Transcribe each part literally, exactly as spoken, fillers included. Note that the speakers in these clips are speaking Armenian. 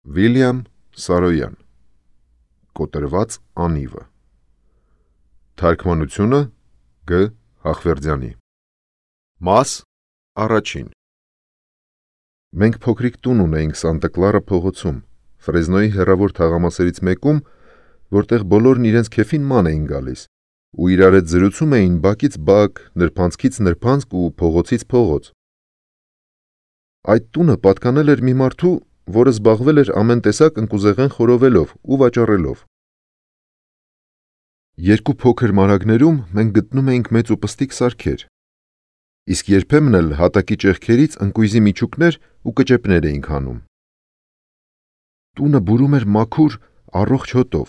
Վիլյամ Սարոյան Կոտրված անիվը Թարգմանությունը Գ. Հախվերդյանի Մաս առաջին Մենք փոքրիկ տուն ունեինք Սանտա Կլարա փողոցում, Ֆրեզնոյի հեռավոր թաղամասերից մեկում, որտեղ բոլորն իրենց քեֆին ման էին գալիս ու իրար հետ զրուցում էին բակից բակ, նրբանցքից նրբանցք ու փողոցից փողոց։ Այդ տունը պատկանել էր մի մարդու, որը զբաղվել էր ամեն տեսակ ընկուզեղեն խորովելով ու վաճառելով։ Երկու փոքր մարագներում մենք գտնում էինք մեծ ու պստիկ սարքեր, իսկ երբեմն էլ հատակի ճեղքերից ընկույզի միջուկներ ու կճեպներ էինք հանում։ Տունը բուրում էր մաքուր, առողջ հոտով։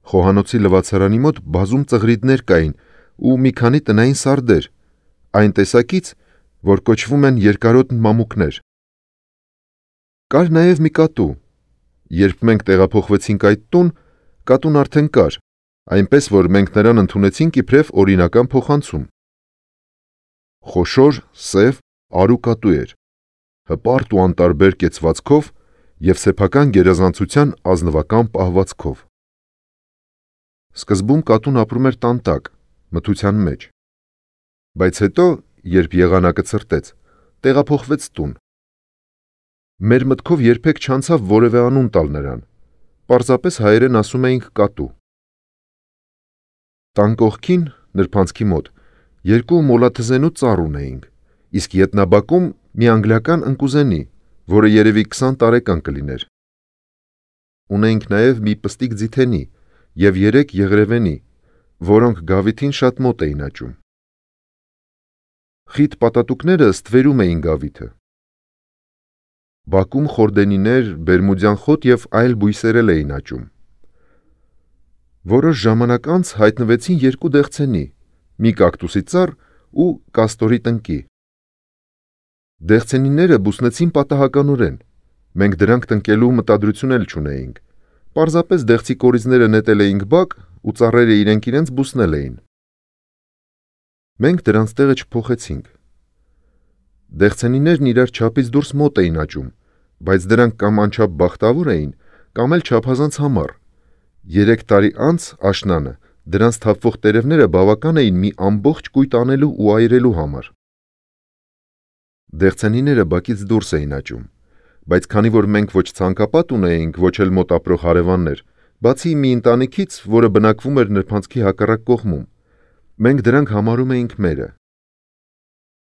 Խոհանոցի լվացարանի մոտ բազում ծղրիդներ կային ու մի քանի տնային սարդեր, այն տեսակից, որ կոչվում են երկարոտ մամուկներ։ Կար նաև մի կատու։ Երբ մենք տեղափոխվեցինք այդ տուն, կատուն արդեն կար, այնպես որ մենք նրան ընդունեցինք իբրև օրինական փոխանցում։ Խոշոր, սև, արու կատու էր, հպարտ ու անտարբեր կեցվածքով և սեփական գերազանցության ազնվական պահվածքով։ Սկզբում կատուն ապրում էր տան տակ, մթության մեջ, բայց հետո, երբ եղանակը ցրտեց, տեղափոխվեց տուն։ Մեր մտքով երբեք չանցավ որևէ անուն տալ նրան, պարզապես հայերեն ասում էինք կատու։ Տան կողքին, նրբանցքի մոտ, երկու մոլաթզենու ծառ ունեինք, իսկ ետնաբակում մի անգլիական ընկուզենի, որը երևի քսան տարեկան կլիներ։ Ունեինք նաև մի պստիկ ձիթենի և երեք եղրևենի, որոնք գավիթին շատ մոտ էին աճում։ Խիտ պատատուկները ստվերում էին գավիթը։ Բակում խորդենիներ, բերմուդյան խոտ և այլ բույսեր էլ էին աճում։ Որոշ ժամանակ անց հայտնվեցին երկու դեղցենի, մի կակտուսի ծառ ու կաստորի տնկի։ Դեղցենիները բուսնեցին պատահականորեն, մենք դրանք տնկելու մտադրություն էլ չունեինք, պարզապես դեղցի կորիզները նետել էինք բակ ու ծառերը իրենք իրենց բուսնել էին։ Մենք դրանց տեղը չփոխեցինք։ Դեղցենիներն իրար չափից դուրս մոտ էին աճում, բայց դրանք կամ անչափ բախտավոր էին, կամ էլ չափազանց համառ։ Երեք տարի անց աշնանը դրանց թափվող տերևները բավական էին մի ամբողջ կույտ անելու ու այրելու համար։ Դեղցենիները բակից դուրս էին աճում, բայց քանի որ մենք ոչ ցանկապատ ունեինք, ոչ էլ մոտ ապրող հարևաններ, բացի մի ընտանիքից, որը բնակվում էր նրբանցքի հակառակ կողմում, մենք դրանք համարում էինք մերը։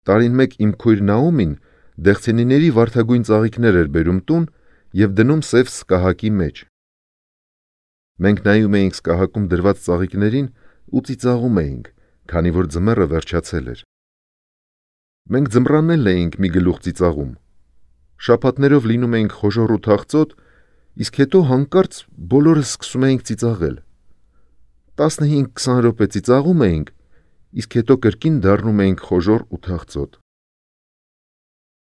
Տարին մեկ իմ քույր Նաոմին դեղցենիների վարդագույն ծաղիկներ էր բերում տուն և դնում սև սկահակի մեջ։ Մենք նայում էինք սկահակում դրված ծաղիկներին ու ծիծաղում էինք, քանի որ ձմեռը վերջացել էր։ Մենք ձմռանն էլ էինք մի գլուխ ծիծաղում։ Շաբաթներով լինում էինք խոժոռ ու թախծոտ, իսկ հետո հանկարծ բոլորս սկսում էինք ծիծաղել։ տասնհինգ-քսան րոպե ծիծաղում էինք, իսկ հետո կրկին դառնում էինք խոժոռ ու թախծոտ։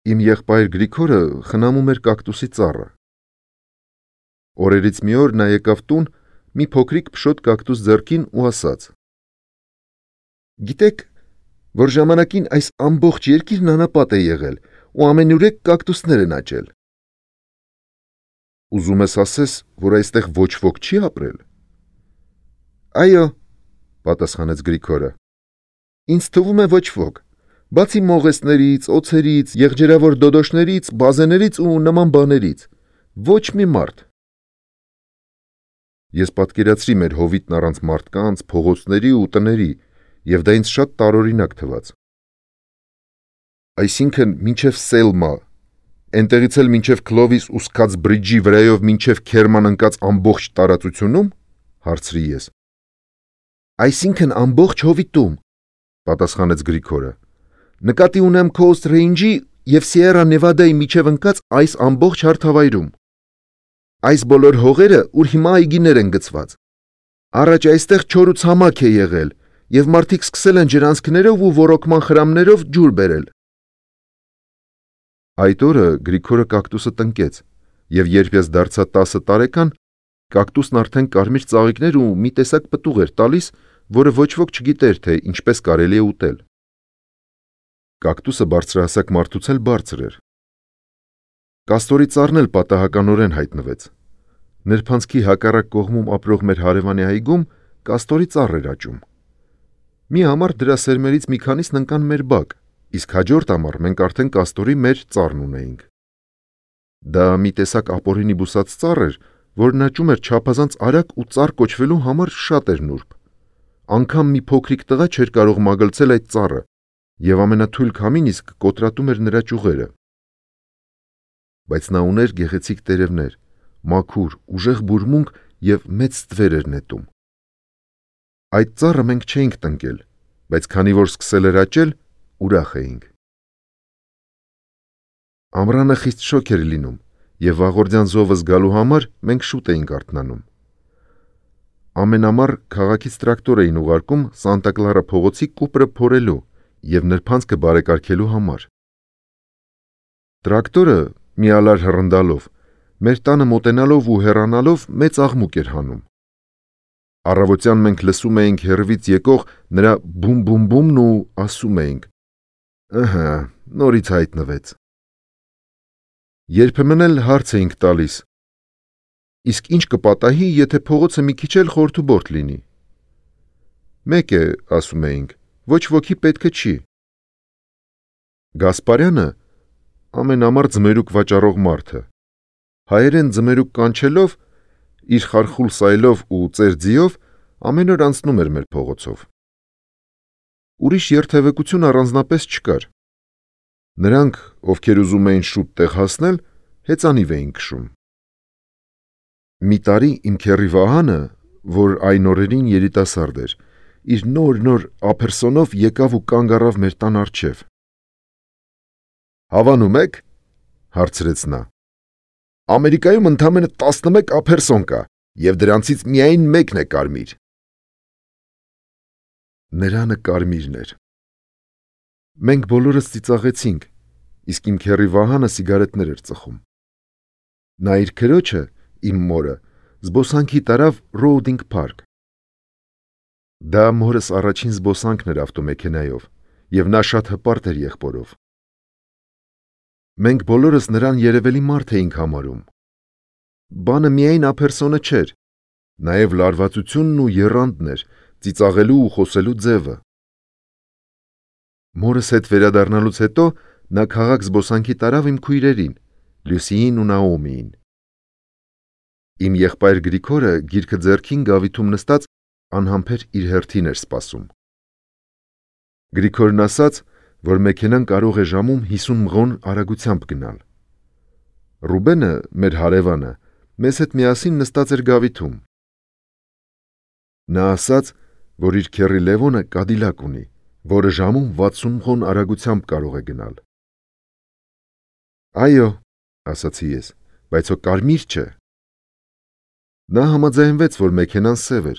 Իմ եղբայր Գրիգորը խնամում էր կակտուսի ծառը։ Օրերից մի օր նա եկավ տուն մի փոքրիկ փշոտ կակտուս ձեռքին ու ասաց. «Գիտեք, որ ժամանակին այս ամբողջ երկիրն անապատ է եղել ու ամենուրեք կակտուսներ են աճել»։ Ուզում ես ասես, որ այստեղ ոչ ոք չի ապրել։ Այո, պատասխանեց Գրիգորը, ինձ թվում է ոչ ոք, բացի մողեսներից, օձերից, եղջերավոր դոդոշներից, բազեներից ու նման բաներից, ոչ մի մարդ։ Ես պատկերացրի մեր հովիտն առանց մարդկանց, փողոցների ու տների, և դա ինձ շատ տարօրինակ թվաց։ Այսինքն մինչև Սելմա, էնտեղից էլ մինչև Քլովիս ու Սքաց Բրիջի վրայով մինչև Քերման ընկած ամբողջ տարածությունում, հարցրի ես։ Այսինքն ամբողջ հովիտում, պատասխանեց Գրիգորը, նկատի ունեմ Քոուստ Ռեյնջի և Սիերա Նևադայի միջև ընկած այս ամբողջ հարթավայրում։ Այս բոլոր հողերը, ուր հիմա այգիներ են գծված։ Առաջ այստեղ չոր ու ցամաք է եղել, և մարդիկ սկսել են ջրանցքներով ու ոռոգման խրամներով ջուր բերել։ Այդ օրը Գրիգորը կակտուսը տնկեց, և երբ ես դարձա տասը տարեկան, կակտուսն արդեն կարմիր ծաղիկներ ու մի տեսակ պտուղ էր տալիս, որը ոչ ոք չգիտեր, թե ինչպես կարելի է ուտել։ Կակտուսը բարձրահասակ մարդուց էլ բարձր էր։ Կաստորի ծառն էլ պատահականորեն հայտնվեց։ Նրբանցքի հակառակ կողմում ապրող մեր հարևանի այգում կաստորի ծառ էր աճում։ Մի ամառ դրա սերմերից մի քանիսն ընկան մեր բակ, իսկ հաջորդ ամառ մենք արդեն կաստորի մեր ծառն ունեինք։ Դա մի տեսակ ապօրինի բուսած ծառ էր, որն աճում էր չափազանց արագ ու ծառ կոչվելու համար շատ էր նուրբ։ Անգամ մի փոքրիկ տղա չէր կարող մագլցել այդ ծառը, եւ ամենաթույլ քամին իսկ կոտրատում էր նրա ճյուղերը։ Բայց նա ուներ գեղեցիկ տերևներ, մաքուր, ուժեղ բուրմունք եւ մեծ ստվեր էր նետում։ Այդ ծառը մենք չէինք տնկել, բայց քանի որ սկսել էր աճել, ուրախ էինք։ Ամռանը խիստ շոգ էր լինում, եւ վաղորդյան զովը զգալու համար մենք շուտ էինք արթնանում։ Ամեն ամառ քաղաքից տրակտոր էին ուղարկում Սանտա Կլարա փողոցի կուպրը փորելու եւ նրբանցքը բարեկարգելու համար։ Տրակտորը մի ալար հռնդալով, մեր տանը մոտենալով ու հեռանալով մեծ աղմուկ էր հանում։ Առավոտյան մենք լսում էինք հեռվից եկող նրա բում-բում-բումն ու ասում էինք. «Ըհը, նորից հայտնվեց»։ Երբեմն էլ հարց էինք տալիս. «Իսկ ինչ կպատահի, եթե փողոցը մի քիչ էլ խորթուբորթ լինի»։ «Մեկ է, ասում էինք, ոչ ոքի պետքը չի»։ Գասպարյանը ամեն ամառ ձմերուկ վաճառող մարդը, հայերեն ձմերուկ կանչելով, իր խարխուլ սայլով ու ծերձիով ամեն օր անցնում էր մեր փողոցով։ Ուրիշ երթևեկություն առանձնապես չկար։ Նրանք, ովքեր ուզում էին շուտ տեղ հասնել, հեծանիվ էին քշում։ Մի տարի իմ քեռի Վահանը, որ այն օրերին երիտասարդ էր, իր նոր-նոր ափերսոնով եկավ ու կանգ առավ մեր տան առջև։ «Հավանում եք», հարցրեց նա։ «Ամերիկայում ընդամենը տասնմեկ ափերսոն կա, եւ դրանցից միայն մեկն է կարմիր»։ Ներանը կարմիրն էր։ Մենք բոլորս ծիծաղեցինք, իսկ իմ քեռի Վահանը սիգարետներ էր ծխում։ Նա իր քրոջը, իմ մորը, զբոսանքի տարավ Ռոուդինգ Փարք։ Դա մորս առաջին զբոսանքն էր ավտոմեքենայով, եւ նա շատ հպարտ էր եղբորով։ Մենք բոլորս նրան երևելի մարդ էինք համարում։ Բանը միայն ափերսոնը չէր, նաեւ լարվածությունն ու եռանդն էր, ծիծաղելու ու խոսելու ձևը։ Մորս հետ վերադառնալուց հետո նա քաղաք զբոսանքի տարավ իմ քույրերին, Լյուսիին ու Նաոմիին։ Իմ եղբայր Գրիգորը գիրքը ձեռքին գավիթում նստած անհամբեր իր հերթին էր սպասում։ Գրիգորն ասաց, որ մեքենան կարող է ժամում հիսուն մղոն արագությամբ գնալ։ Ռուբենը, մեր հարևանը, մեզ հետ միասին նստած էր գավիթում։ Նա ասաց, որ իր քեռի Լևոնը Կադիլակ ունի, որը ժամում վաթսուն մղոն արագությամբ կարող է գնալ։ Այո, ասացի ես, բայց հո կարմիր չէ։ Նա համաձայնվեց, որ մեքենան սև էր։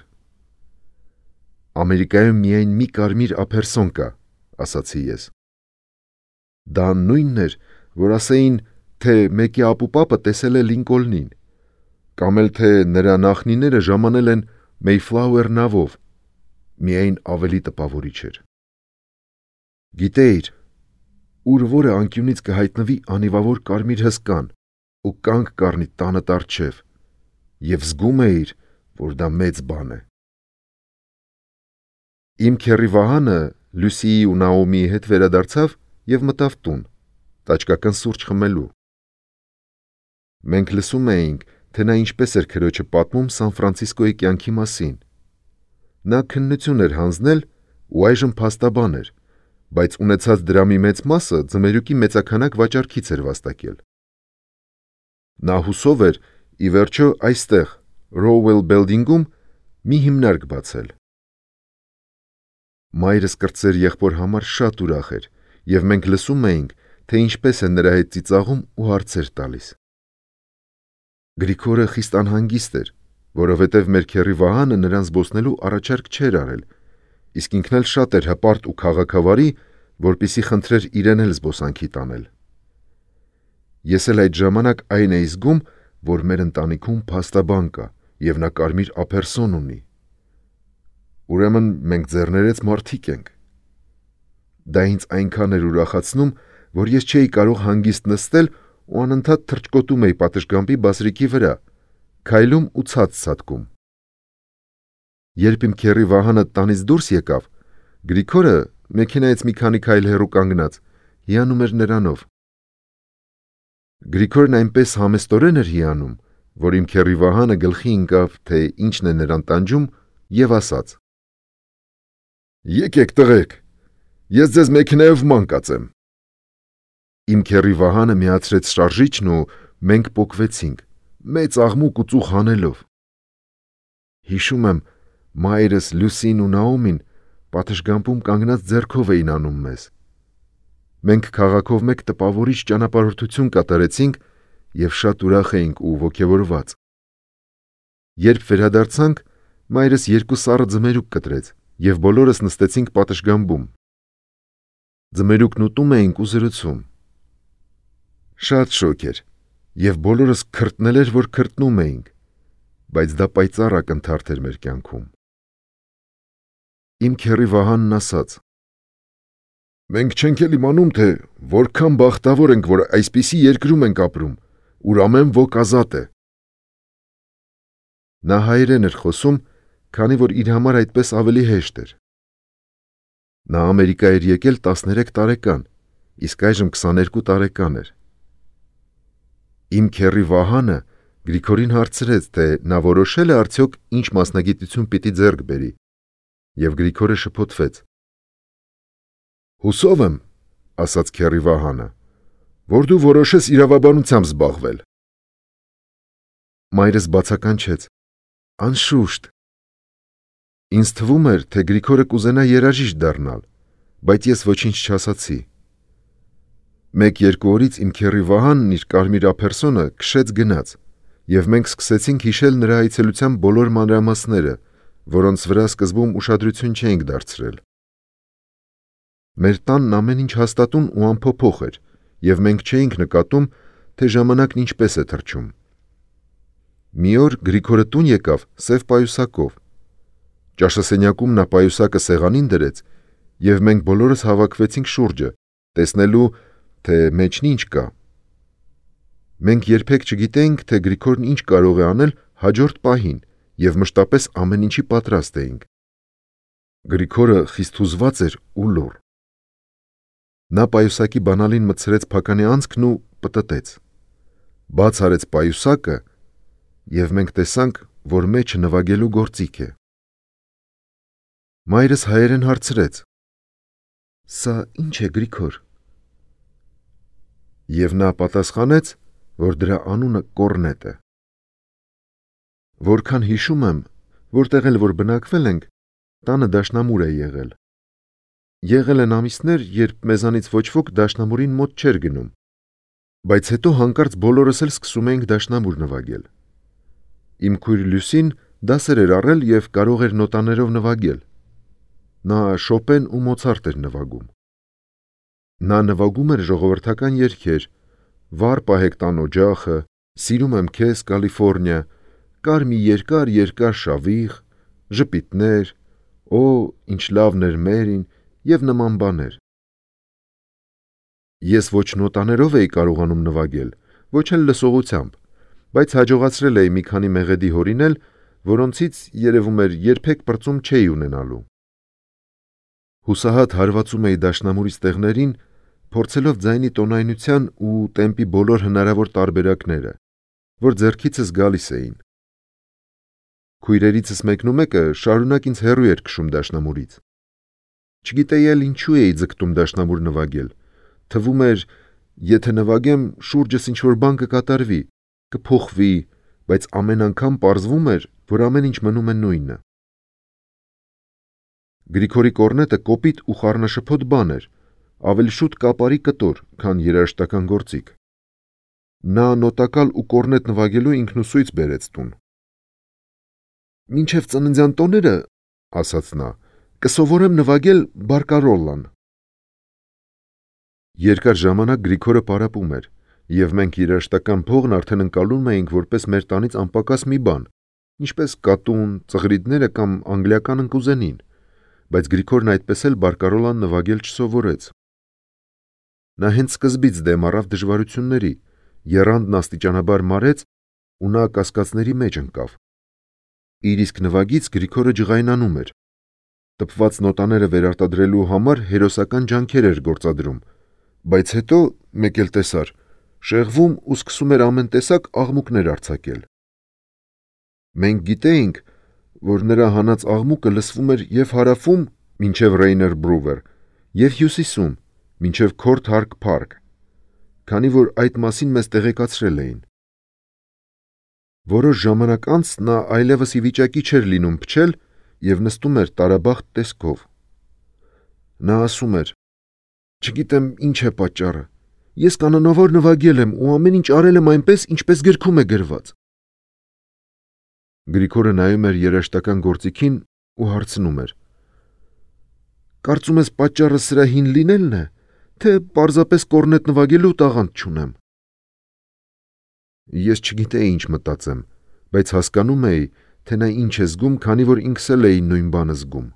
Ամերիկայում միայն մի կարմիր ափերսոն կա, ասացի ես։ Դա նույնն էր, որ ասեին, թե մեկի ապուպապը տեսել է Լինկոլնին, կամ էլ թե նրա նախնիները ժամանել են Մեյֆլաուեր նավով, միայն ավելի տպավորիչ էր։ Գիտեիր, ուր որը անկյունից կհայտնվի անիվավոր կարմիր հսկան ու կանգ կառնի տանդ առջև, եւ զգում էիր, որ դա մեծ բան է։ Իմ քեռի Վահանը Լյուսիի ու Նաոմիի հետ վերադարձավ եւ մտավ տուն, տաճկական սուրճ խմելու։ Մենք լսում էինք, թե նա ինչպես էր քրոջը պատմում Սան Ֆրանցիսկոյի կյանքի մասին։ Նա քննություն էր հանձնել ու այժմ փաստաբան էր, բայց ունեցած դրամի մեծ մասը ձմերուկի մեծաքանակ վաճառքից էր վաստակել։ Նա հուսով էր, ի վերջո այստեղ, Rowell Building-ում, մի հիմնարկ բացել։ Մայրս կրտսեր եղբոր համար շատ ուրախ էր, եւ մենք լսում էինք, թե ինչպես է նրա հետ ծիծաղում ու հարցեր տալիս։ Գրիգորը խիստ անհանգիստ էր, որովհետև մեր քեռի Վահանը նրան զբոսնելու առաջարկ չէր արել, իսկ ինքն էլ շատ էր հպարտ ու քաղաքավարի, որպեսզի խնդրեր իրեն էլ զբոսանքի տանել։ Ես էլ այդ ժամանակ այն էի զգում, որ մեր ընտանիքում փաստաբան կա, եւ նա կարմիր ափերսոն ունի։ Ուրեմն մենք ձեռներեց մարդիկ ենք։ Դա ինձ այնքան էր ուրախացնում, որ ես չէի կարող հանգիստ նստել ու անընդհատ թռչկոտում էի պատշգամբի բասրիկի վրա, քայլում ու ցած ցատկում։ Երբ իմ քեռի Վահանը տանից դուրս եկավ, Գրիգորը մեքենայից մի քանի քայլ հեռու կանգնած հիանում էր նրանով։ Գրիգորն այնպես համեստորեն էր հիանում, որ իմ քեռի Վահանը գլխի ընկավ, թե ինչն է նրան տանջում, եւ ասաց. «Եկեք տղեկ, ես ձեզ մեքենայով ման կածեմ»։ Իմ քեռի Վահանը միացրեց շարժիչն ու մենք պոկվեցինք, մեծ աղմուկ ու ծուխ հանելով։ Հիշում եմ, մայրս, Լուսին ու Նաոմին պատշգամբում կանգնած ձեռքով էին անում մեզ։ Մենք քաղաքով մեկ տպավորիչ ճանապարհորդություն կատարեցինք եւ շատ ուրախ էինք ու ոգևորված։ Երբ վերադարձանք, մայրս երկու սառը ձմերուկ կտրեց եւ բոլորս նստեցինք պատշգամբում։ Ձմերուկն ուտում էինք ու զրուցում։ Շատ շոգ էր եւ բոլորս քրտնել էր, որ քրտնում էինք, բայց դա պայծառ ակնթարթ էր մեր կյանքում։ Իմ քեռի Վահանն ասաց. «Մենք չենք էլ իմանում, թե որքան բախտավոր ենք, որ այսպիսի երկրում ենք ապրում, ուր ամեն ոք ազատ է»։ Նա հայերեն էր խոսում, քանի որ իր համար այդպես ավելի հեշտ էր։ Նա Ամերիկա էր եկել տասներեք տարեկան, իսկ այժմ քսաներկու տարեկան էր։ Իմ քեռի Վահանը Գրիգորին հարցրեց, թե նա որոշել է արդյոք ինչ մասնագիտություն պիտի ձեռք բերի, եւ Գրիգորը շփոթվեց։ «Հուսով եմ, — ասաց քեռի Վահանը, — որ դու որոշես իրավաբանությամբ զբաղվել»։ Մայրս բացականչեց. «Անշուշտ»։ Ինձ թվում էր, թե Գրիգորը կուզենա երաժիշտ դառնալ, բայց ես ոչինչ չասացի։ Մեկ-երկու օրից իմ քեռի Վահանն իր կարմիր ափերսոնը քշեց գնաց, եւ մենք սկսեցինք հիշել նրա այցելության բոլոր մանրամասները, որոնց վրա սկզբում ուշադրություն չէինք դարձրել։ Մեր տանն ամեն ինչ հաստատուն ու անփոփոխ էր, եւ մենք չէինք նկատում, թե ժամանակն ինչպես է թռչում։ Մի օր Գրիգորը տուն եկավ սև պայուսակով։ Ճաշասենյակում նա պայուսակը սեղանին դրեց, եւ մենք բոլորս հավաքվեցինք շուրջը, տեսնելու, թե մեջն ինչ կա։ Մենք երբեք չգիտեինք, թե Գրիգորն ինչ կարող է անել հաջորդ պահին, եւ մշտապես ամեն ինչի պատրաստ էինք։ Գրիգորը խիստ հուզված էր ու լուռ։ Նա պայուսակի բանալին մտցրեց փականի անցքն ու պտտեց։ Բաց արեց պայուսակը, եւ մենք տեսանք, որ մեջը նվագելու գործիք է։ Մայրս հայերեն հարցրեց. «Սա ի՞նչ է, Գրիգոր»։ Եվ նա պատասխանեց, որ դրա անունը կոռնետ է։ Որքան հիշում եմ, որտեղ էլ որ բնակվել ենք, տանը դաշնամուր է եղել։ Եղել են ամիսներ, երբ մեզանից ոչ ոք դաշնամուրին մոտ չէր գնում, բայց հետո հանկարծ բոլորս էլ սկսում էինք դաշնամուր նվագել։ Իմ քույր Լուսին դասեր էր առել եւ կարող էր նոտաներով նվագել։ Նա Շոպեն ու Մոցարտ էր նվագում։ Նա նվագում էր ժողովրդական երգեր. «Վառ պահեք տան օջախը», «Սիրում եմ քեզ, Կալիֆոռնիա», «Կար մի երկար երկար շավիղ», «Ժպիտներ», «Օ, ինչ լավն էր Մերին» եւ նման բաներ։ Ես ոչ նոտաներով էի կարողանում նվագել, ոչ էլ լսողությամբ, բայց հաջողացրել էի մի քանի մեղեդի հորինել, որոնցից երևում էր երբեք պրծում չէի ունենալու։ Հուսահատ հարվածում էի դաշնամուրի ստեղներին, փորձելով ձայնի տոնայնության ու տեմպի բոլոր հնարավոր տարբերակները, որ ձեռքիցս գալիս էին։ Քույրերիցս մեկն ու մեկը շարունակ ինձ հեռու էր քշում դաշնամուրից։ Չգիտեի էլ ինչու էի ձգտում դաշնամուր նվագել։ Թվում էր, եթե նվագեմ, շուրջս ինչ-որ բան կկատարվի, կփոխվի, բայց ամեն անգամ պարզվում էր, որ ամեն ինչ մնում է նույնը։ Գրիգորի կոռնետը կոպիտ ու խառնաշփոթ բան էր, ավելի շուտ կապարի կտոր, քան երաժշտական գործիք։ Նա նոտակալ ու կոռնետ նվագելու ինքնուսույց բերեց տուն։ «Մինչև ծննդյան տոները, — ասաց նա, — կսովորեմ նվագել բարկարոլլան»։ Երկար ժամանակ Գրիգորը պարապում էր, եւ մենք երաժշտական փողն արդեն ընկալում էինք որպես մեր տանից անպակաս մի բան, ինչպես կատուն, ծղրիդները կամ անգլիական ընկուզենին, բայց Գրիգորն այդպես էլ բարկարոլան նվագել չսովորեց։ Նա հենց սկզբից դեմ առավ դժվարությունների եռանդն աստիճանաբար մարեց ու նա կասկածների մեջ ընկավ։ Իր իսկ նվագից Գրիգորը ջղայնանում էր։ Տպված նոտաները վերարտադրելու համար հերոսական ջանքեր էր գործադրում, բայց հետո մեկ էլ տեսար, շեղվում ու սկսում էր ամեն տեսակ աղմուկներ արձակել։ Մենք գիտեինք, որ նրա հանած աղմուկը լսվում էր և հարավում մինչև Ռեյներ Բրուվեր, և հյուսիսում մինչև Քորթ Հարք Փարք, քանի որ այդ մասին մեզ տեղեկացրել էին։ Որոշ ժամանակ անց նա այլևս ի վիճակի չէր լինում փչել և նստում էր տարաբախտ տեսքով։ Նա ասում էր. «Չգիտեմ ինչ է պատճառը, ես կանոնավոր նվագել եմ ու ամեն ինչ արել եմ այնպես, ինչպես գրքում է գրված»։ Գրիգորը նայում էր երաժշտական գործիքին ու հարցնում էր. «Կարծում ես պատճառը սրա հին լինելն է, թե պարզապես կորնետ նվագելու տաղանդ չունեմ»։ Ես չգիտեի ինչ մտածեմ, բայց հասկանում էի, թե նա ինչ է զգում, քանի որ ինքս էլ էի նույն բանը զգում։